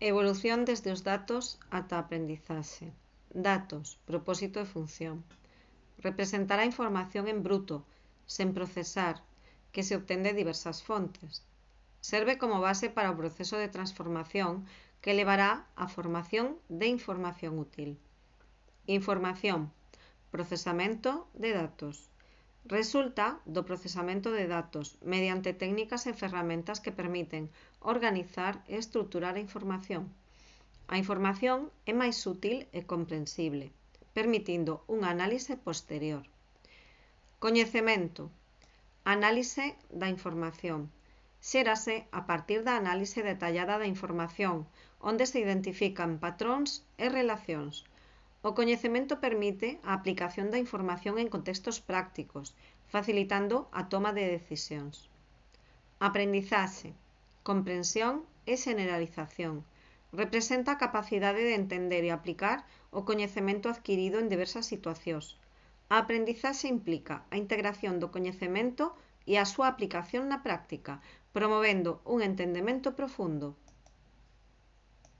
Evolución desde os datos ata a aprendizaxe. Datos, propósito e función. Representar a información en bruto, sen procesar, que se obtén de diversas fontes. Serve como base para o proceso de transformación que levará á formación de información útil. Información, procesamento de datos. Resulta do procesamento de datos mediante técnicas e ferramentas que permiten organizar e estruturar a información. A información é máis útil e comprensible, permitindo un análise posterior. Coñecemento. Análise da información. Xérase a partir da análise detallada da información, onde se identifican patróns e relacións. O coñecemento permite a aplicación da información en contextos prácticos, facilitando a toma de decisións. Aprendizaxe, comprensión e generalización. Representa a capacidade de entender e aplicar o coñecemento adquirido en diversas situacións. A aprendizaxe implica a integración do coñecemento e a súa aplicación na práctica, promovendo un entendemento profundo.